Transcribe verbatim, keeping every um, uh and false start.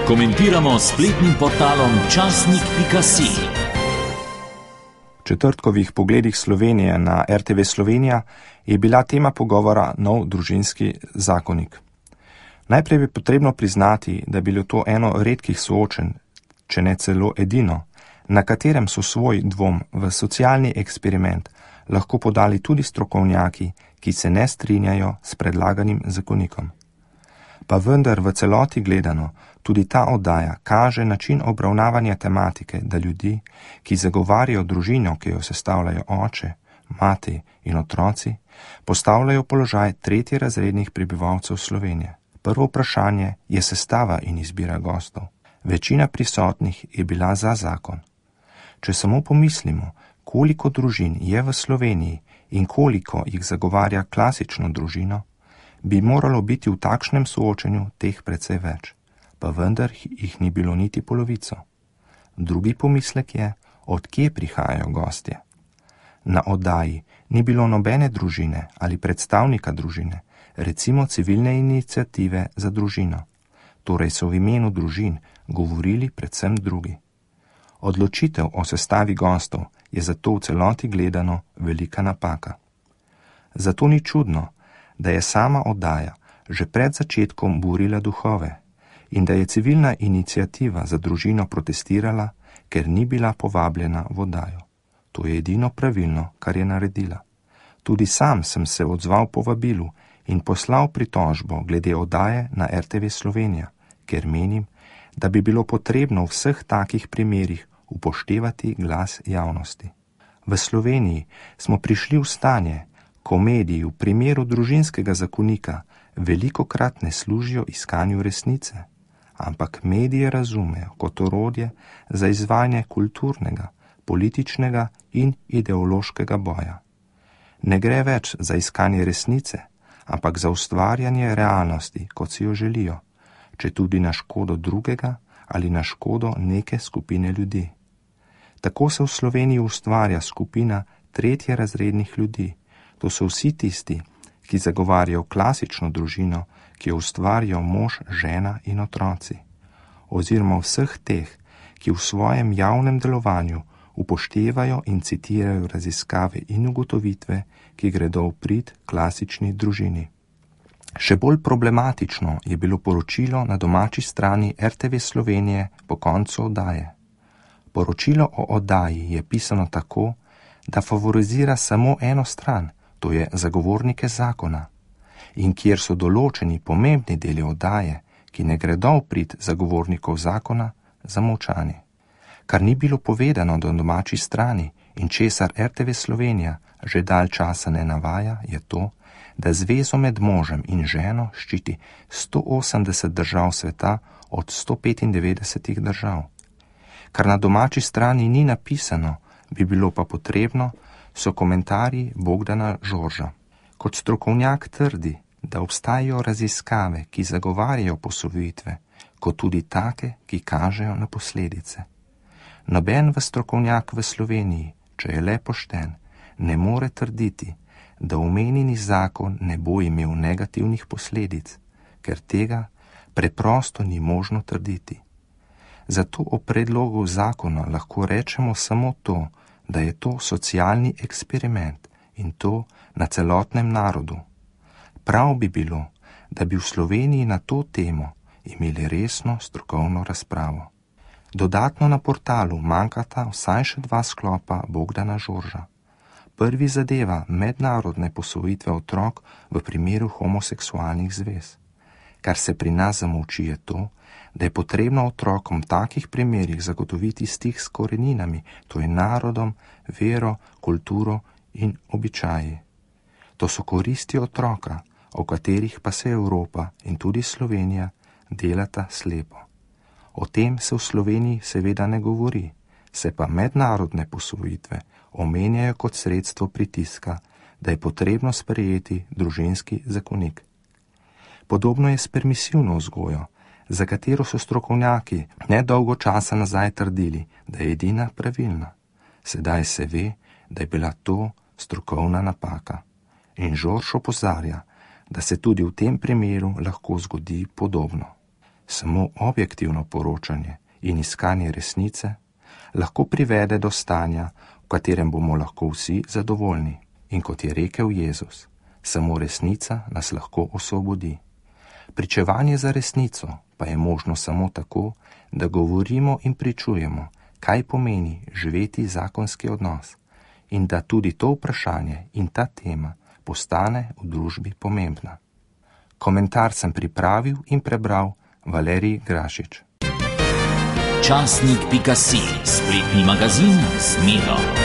Komentiramo s spletnim portalom časnik pika si. V četrtkovih pogledih Slovenije na er te ve Slovenija je bila tema pogovora nov družinski zakonik. Najprej bi potrebno priznati, da je bilo to eno redkih soočenj, če ne celo edino, na katerem so svoj dvom v socialni eksperiment lahko podali tudi strokovnjaki, ki se ne strinjajo s predlaganim zakonikom. Pa vendar v celoti gledano, tudi ta oddaja kaže način obravnavanja tematike, da ljudi, ki zagovarjajo družino, ki jo sestavljajo oče, mati in otroci, postavljajo v položaj tretjerazrednih prebivalcev Slovenije. Prvo vprašanje je sestava in izbira gostov. Večina prisotnih je bila za zakon. Če samo pomislimo, koliko družin je v Sloveniji in koliko jih zagovarja klasično družino, bi moralo biti v takšnem soočenju teh precej več, pa vendar jih ni bilo niti polovico. Drugi pomislek je, od kje prihajajo gostje. Na oddaji ni bilo nobene družine ali predstavnika družine, recimo civilne iniciative za družino, torej so v imenu družin govorili predvsem drugi. Odločitev o sestavi gostov je zato v celoti gledano velika napaka. Zato ni čudno, da je sama oddaja že pred začetkom burila duhove in da je civilna iniciativa za družino protestirala, ker ni bila povabljena v oddajo. To je edino pravilno, kar je naredila. Tudi sam sem se odzval povabilu in poslal pritožbo glede oddaje na er te ve Slovenija, ker menim, da bi bilo potrebno v vseh takih primerih upoštevati glas javnosti. V Sloveniji smo prišli v stanje, ko mediji v primeru družinskega zakonika velikokrat ne služijo iskanju resnice, ampak medije razumejo kot orodje za izvajanje kulturnega, političnega in ideološkega boja. Ne gre več za iskanje resnice, ampak za ustvarjanje realnosti, kot si jo želijo, če tudi na škodo drugega ali na škodo neke skupine ljudi. Tako se v Sloveniji ustvarja skupina tretjerazrednih ljudi. To so vsi tisti, ki zagovarjajo klasično družino, ki jo ustvarjajo mož, žena in otroci, oziroma vseh teh, ki v svojem javnem delovanju upoštevajo in citirajo raziskave in ugotovitve, ki gredo v prid klasični družini. Še bolj problematično je bilo poročilo na domači strani er te ve Slovenije po koncu oddaje. Poročilo o oddaji je pisano tako, da favorizira samo eno stran, to je zagovornike zakona, in kjer so določeni pomembni deli oddaje, ki ne gredo v prid zagovornikov zakona, zamolčani. Kar ni bilo povedano do domači strani in česar er te ve Slovenija že dalj časa ne navaja, je to, da zvezo med možem in ženo ščiti sto osemdeset držav sveta od sto petindevetdesetih držav. Kar na domači strani ni napisano, bi bilo pa potrebno, so komentarji Bogdana Žorža. Kot strokovnjak trdi, da obstajajo raziskave, ki zagovarjajo posvojitve, kot tudi take, ki kažejo na posledice. Noben v strokovnjak v Sloveniji, če je le pošten, ne more trditi, da omenjeni zakon ne bo imel negativnih posledic, ker tega preprosto ni možno trditi. Zato o predlogu zakona lahko rečemo samo to, da je to socialni eksperiment in to na celotnem narodu. Prav bi bilo, da bi v Sloveniji na to temo imeli resno strokovno razpravo. Dodatno na portalu manjkata vsaj še dva sklopa Bogdana Žorža. Prvi zadeva mednarodne posvojitve otrok v primeru homoseksualnih zvez. Kar se pri nas zamolči je to, da je potrebno otrokom v takih primerih zagotoviti stik s koreninami, to je narodom, vero, kulturo in običaji. To so koristi otroka, o katerih pa se Evropa in tudi Slovenija delata slepo. O tem se v Sloveniji seveda ne govori, se pa mednarodne posvojitve omenjajo kot sredstvo pritiska, da je potrebno sprejeti družinski zakonik. Podobno je s permisivno vzgojo, za katero so strokovnjaki nedolgo časa nazaj trdili, da je edina pravilna. Sedaj se ve, da je bila to strokovna napaka. In Žorž opozarja, da se tudi v tem primeru lahko zgodi podobno. Samo objektivno poročanje in iskanje resnice lahko privede do stanja, v katerem bomo lahko vsi zadovoljni. In kot je rekel Jezus, samo resnica nas lahko osvobodi. Pričevanje za resnico pa je možno samo tako, da govorimo in pričujemo, kaj pomeni živeti zakonski odnos in da tudi to vprašanje in ta tema postane v družbi pomembna. Komentar sem pripravil in prebral Valerij Grašič. Časnik pika si, spletni magazin z Miro.